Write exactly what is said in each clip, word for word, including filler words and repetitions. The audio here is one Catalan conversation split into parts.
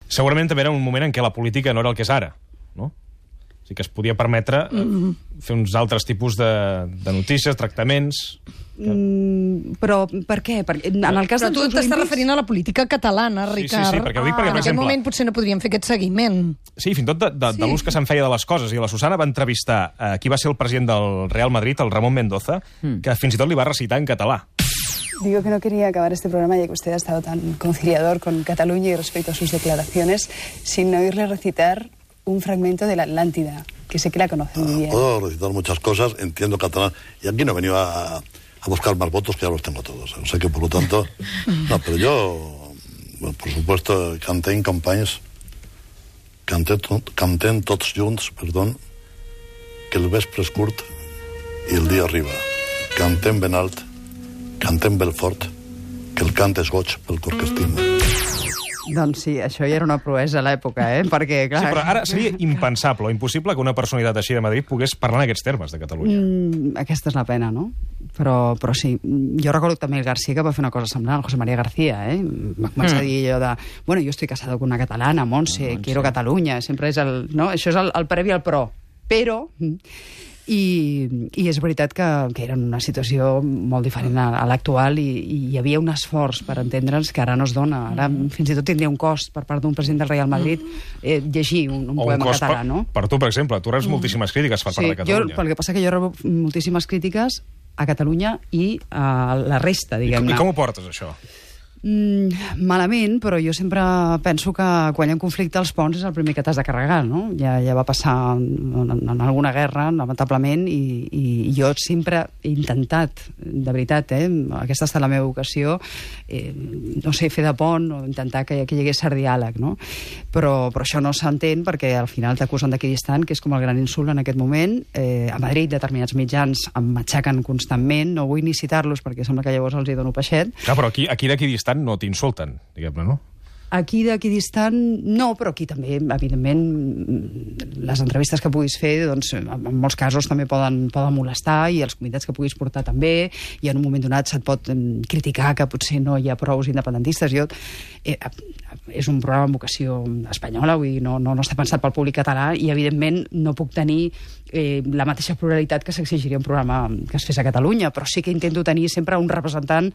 Segurament també era un moment en què la política no era el que és ara, no? O sigui que es podia permetre mm. fer uns altres tipus de, de notícies, tractaments... Que... Mm, però per què? Perquè en el cas però tu t'estàs olímpics... referint a la política catalana, Ricard. Sí, sí, sí, perquè ho dic perquè, ah, per en exemple... aquest moment potser no podríem fer aquest seguiment. Sí, fins i tot de, de, sí. de l'ús que se'n feia de les coses. I la Susana va entrevistar eh, qui va ser el president del Real Madrid, el Ramon Mendoza, mm. que fins i tot li va recitar en català. Digo que no quería acabar este programa ya que usted ha estado tan conciliador con Cataluña y respecto a sus declaraciones sin oírle recitar un fragmento de la Atlántida, que sé que la conoce muy bien. Puedo recitar muchas cosas, entiendo catalán, y aquí no he venido a, a buscar más votos, que ya los tengo todos. O sea que, por lo tanto... No, pero yo, bueno, por supuesto, canté en campanyes, canté, canté en tots junts, perdón, que el vespre és curt i el dia arriba. Cantem ben alt, cantem ben fort, que el cant és goig pel cor que estima. Doncs sí, això ja era una proesa a l'època, eh? Perquè, clar... Sí, però ara seria impensable o impossible que una personalitat així de Madrid pogués parlar en aquests termes de Catalunya. Mm, aquesta és la pena, no? Però, però sí, jo recordo també el García que va fer una cosa semblant, el José María García, eh? Va començar mm. a dir allò de... Bueno, yo estoy casado con una catalana, Montse, Montse. Quiero Catalunya, sempre és el... No? Això és el, el previ al pro. Però... I, i és veritat que, que era una situació molt diferent a, a l'actual i, i hi havia un esforç per entendre'ns que ara no es dona. Ara fins i tot tindria un cost per part d'un president del Real Madrid eh, llegir un, un poema català, no? Per, per tu, per exemple, tu reps mm. moltíssimes crítiques per sí, part de Catalunya. Jo, el que passa que jo rebo moltíssimes crítiques a Catalunya i a la resta, diguem-ne. I, I com ho portes, això? Mm, malament, però jo sempre penso que quan hi ha un conflicte als ponts és el primer que t'has de carregar, no? Ja, ja va passar en, en alguna guerra, lamentablement, i, i jo sempre he intentat, de veritat, eh? Aquesta ha estat la meva vocació, eh, no sé, fer de pont o intentar que, que hi hagués cert diàleg, no? Però, però això no s'entén perquè al final t'acusen d'equidistant, que és com el gran insult en aquest moment. Eh, a Madrid determinats mitjans em matxaquen constantment, no vull ni citar-los perquè sembla que llavors els hi dono peixet. Clar, però aquí, aquí d'equidistant no t'insulten, diguem-ne, no? Aquí d'equidistant no, però aquí també, evidentment, les entrevistes que puguis fer, doncs, en molts casos també poden, poden molestar i els convidats que puguis portar també, i en un moment donat se't pot criticar que potser no hi ha prou independentistes. Jo, eh, és un programa amb vocació espanyola, vull dir, no, no, no està pensat pel públic català i, evidentment, no puc tenir eh, la mateixa pluralitat que s'exigiria un programa que es fes a Catalunya, però sí que intento tenir sempre un representant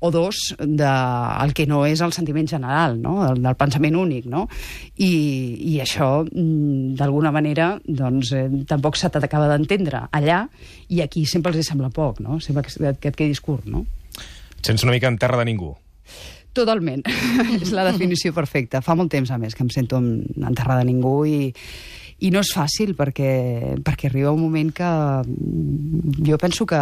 o dos del que no és el sentiment general, no? Del, del pensament únic, no? I, i això, d'alguna manera, doncs, eh, tampoc se t'acaba d'entendre allà, i aquí sempre els hi sembla poc, no? Sempre que, que et quedis curt, no? Et sents una mica en terra de ningú. Totalment. És la definició perfecta. Fa molt temps, a més, que em sento en, en terra de ningú i, i no és fàcil perquè, perquè arriba un moment que jo penso que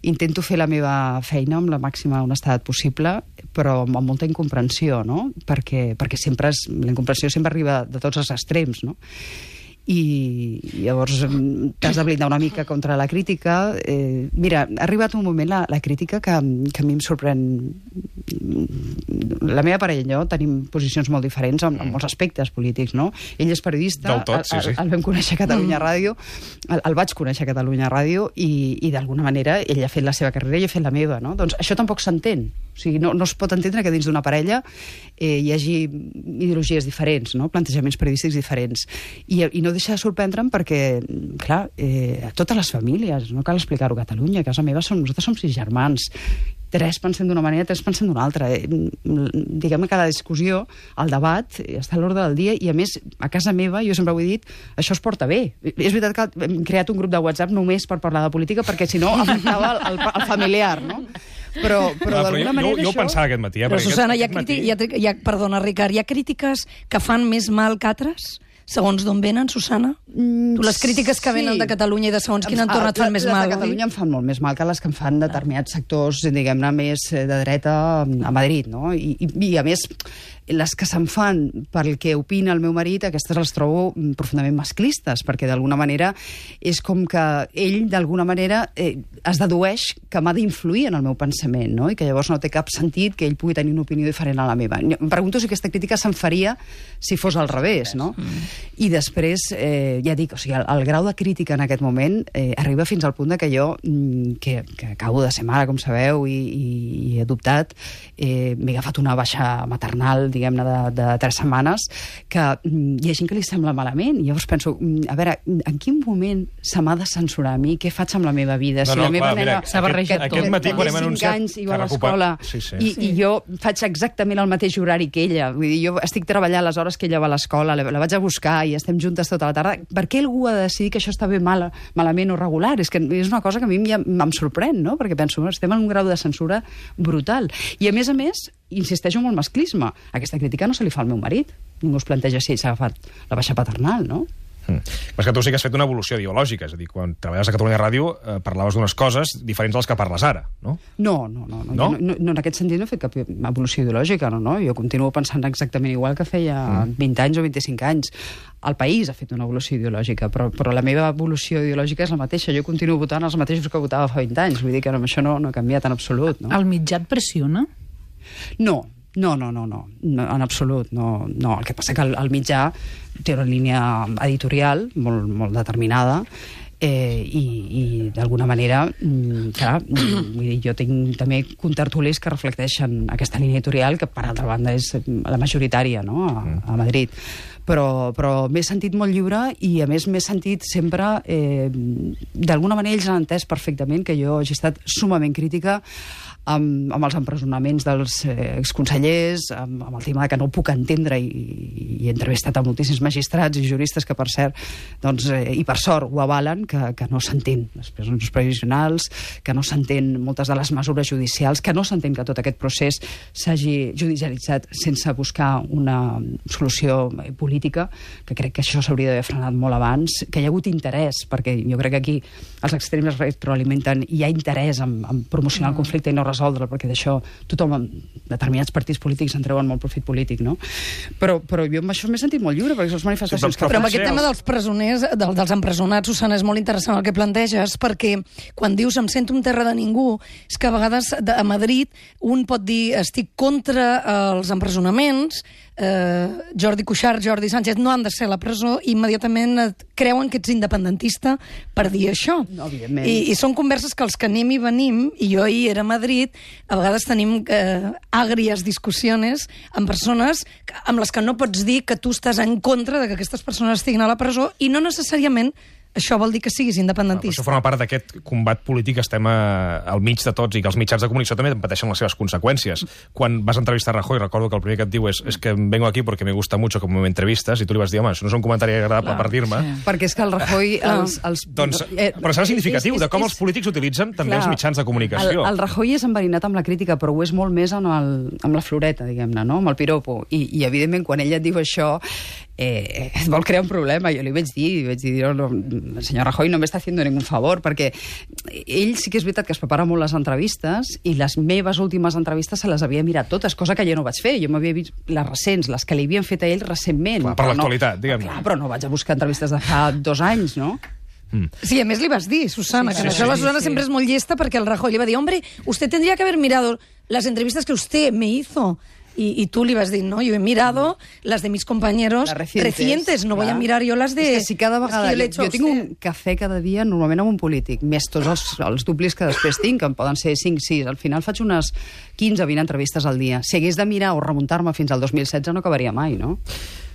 intento fer la meva feina amb la màxima honestedat possible, però amb molta incomprensió, no? Perquè, perquè sempre és, la incomprensió sempre arriba de tots els extrems, no? I llavors t'has de blindar una mica contra la crítica. Eh, mira, ha arribat un moment la, la crítica que, que a mi em sorprèn. La meva parella i jo tenim posicions molt diferents en, en molts aspectes polítics, no? Ell és periodista, Del tot, sí, sí. El, el vam conèixer a Catalunya Ràdio, el, el vaig conèixer a Catalunya Ràdio i, i d'alguna manera ell ha fet la seva carrera i jo he fet la meva, no? Doncs això tampoc s'entén. O sigui, no, no es pot entendre que dins d'una parella eh, hi hagi ideologies diferents, no? Plantejaments periodístics diferents. I, i no deixa de sorprendre'm perquè, clar, eh, a totes les famílies, no cal explicar-ho a Catalunya, a casa meva som, nosaltres som sis germans, tres pensem d'una manera, tres pensem d'una altra. Eh, diguem que la discussió, el debat, està a l'ordre del dia i, a més, a casa meva, jo sempre ho he dit, això es porta bé. És veritat que hem creat un grup de WhatsApp només per parlar de política perquè, si no, afectava el, el, el familiar, no? Però, però no, d'alguna jo, manera jo, jo això... ho pensava aquest matí. Eh, però, Susana, hi ha, matí... hi ha, hi ha, perdona, Ricard, hi ha crítiques que fan més mal que altres? Segons d'on venen, Susana? Mm, tu les crítiques que venen sí. de Catalunya i de segons quin entorn et fan més mal, Les de Catalunya em fan molt més mal que les que em fan determinats sectors, diguem-ne, més de dreta a Madrid, no? I, i, i a més, les que se'n fan pel que opina el meu marit, aquestes les trobo profundament masclistes, perquè d'alguna manera és com que ell, d'alguna manera, eh, es dedueix que m'ha d'influir en el meu pensament, no? I que llavors no té cap sentit que ell pugui tenir una opinió diferent a la meva. Em pregunto si aquesta crítica se'n faria si fos al revés, no? Mm. I després, eh, ja dic, o sigui, el, el grau de crítica en aquest moment eh, arriba fins al punt de que jo, que, que acabo de ser mare, com sabeu, i, i he adoptat, eh, m'he agafat una baixa maternal diguem-ne, de, de tres setmanes, que mm, hi ha gent que li sembla malament. I llavors penso, mm, a veure, en quin moment se m'ha de censurar a mi? Què faig amb la meva vida? No, si no, la meva clar, nena... mira, s'ha barrejat aquest, tot. aquest matí, quan hem té cinc anunciat... anys i va que a recuper- l'escola, Sí, sí. i, i jo faig exactament el mateix horari que ella. Vull dir, jo estic treballant les hores que ella va a l'escola, la, la vaig a buscar i estem juntes tota la tarda. Per què algú ha de decidir que això està bé mal, malament o regular? És que és una cosa que a mi ja em sorprèn, no? Perquè penso, estem en un grau de censura brutal. I a més a més, insisteixo en el masclisme. Aquesta crítica no se li fa al meu marit. Ningú es planteja si ell s'ha agafat la baixa paternal, no? Mm. Però és que tu sí que has fet una evolució ideològica, és a dir, quan treballes a Catalunya Ràdio eh, parlaves d'unes coses diferents de les que parles ara, no? No, no, no. no, No? no, no, no en aquest sentit no he fet cap evolució ideològica, no, no. Jo continuo pensant exactament igual que feia mm. vint anys o vint-i-cinc anys. El país ha fet una evolució ideològica, però, però la meva evolució ideològica és la mateixa. Jo continuo votant els mateixos que votava fa vint anys. Vull dir que amb això no, no he canviat en absolut, no? El mitjà et pressiona? No, no, no, no, no, no en absolut, no, no. El que passa que el, el mitjà té una línia editorial molt, molt determinada, eh, i, i d'alguna manera, mm, clar, mm, vull dir, jo tinc també contertulis que reflecteixen aquesta línia editorial, que per altra banda és la majoritària, no?, a, a Madrid. Però, però m'he sentit molt lliure i a més m'he sentit sempre, eh, d'alguna manera ells han entès perfectament que jo hagi estat sumament crítica amb, amb els empresonaments dels eh, exconsellers, amb, amb el tema que no puc entendre, i, i he entrevistat a moltíssims magistrats i juristes que, per cert, doncs, eh, i per sort ho avalen, que, que no s'entén les presons provisionals, que no s'entén moltes de les mesures judicials, que no s'entén que tot aquest procés s'hagi judicialitzat sense buscar una solució política, que crec que això s'hauria d'haver frenat molt abans, que hi ha hagut interès, perquè jo crec que aquí els extrems es retroalimenten, i hi ha interès en, en promocionar el conflicte i no resoldre'l, perquè d'això tothom, determinats partits polítics, en treuen molt profit polític, no? Però, però jo amb això m'he sentit molt lliure, perquè les manifestacions... Sí, que Però amb potser aquest tema els- dels presoners, del, dels empresonats, Susana, és molt interessant el que planteges, perquè quan dius em sento un terra de ningú, és que a vegades de, a Madrid un pot dir estic contra els empresonaments, eh, Jordi Cuixart, Jordi Sánchez no han de ser a la presó, i immediatament et creuen que ets independentista per dir això. No, evidentment. I, I són converses que els que anem i venim, i jo ahir era a Madrid, a vegades tenim eh, àgries discussions amb persones que- amb les que no pots dir que tu estàs en contra de que aquestes persones estiguin a la presó, i no necessàriament això vol dir que siguis Però independentista. això forma part d'aquest combat polític que estem a, al mig de tots, i que els mitjans de comunicació també pateixen les seves conseqüències. Quan vas entrevistar a Rajoy, recordo que el primer que et diu és, és que vengo aquí porque me gusta mucho como me entrevistas, i tu li vas dir, home, això no és un comentari agradable per dir-me. sí. Perquè és que el Rajoy... Els, els, Doncs, eh, però serà significatiu és- és- de com és- els polítics utilitzen també Clar, els mitjans de comunicació. El, el Rajoy és enverinat amb la crítica, però ho és molt més amb, el, amb la floreta, diguem-ne, no? Amb el piropo. I, i evidentment, quan ella et diu això, eh, et vol crear un problema. Jo li vaig dir, vaig dir, no, no, el senyor Rajoy no m'està haciendo ningún favor, perquè ell sí que és veritat que es prepara molt les entrevistes, i les meves últimes entrevistes se les havia mirat totes, cosa que jo no vaig fer. Jo m'havia vist les recents, les que li havien fet a ell recentment. Clar, per però l'actualitat, no, diguem-ne. Clar, però no vaig a buscar entrevistes de fa dos anys, no? Sí, a més li vas dir, Susana, Sí, que sí, això sí, la Susana sí. siempre es muy llesta, porque el Rajoy le va a decir, hombre, usted tendría que haber mirado las entrevistas que usted me hizo. Y, y tú le vas a decir, no, yo he mirado las de mis compañeros Les recientes, recientes, no voy a clar. mirar yo las de... És que si cada las que vegada... yo le he Jo, hecho a jo tinc usted. un cafè cada dia, normalment amb un polític, més tots els, els duplis que després tinc, que en poden ser cinc, sis. Al final faig unes quinze, vint entrevistes al dia. Si hagués de mirar o remuntar-me fins al dos mil setze no acabaria mai, no?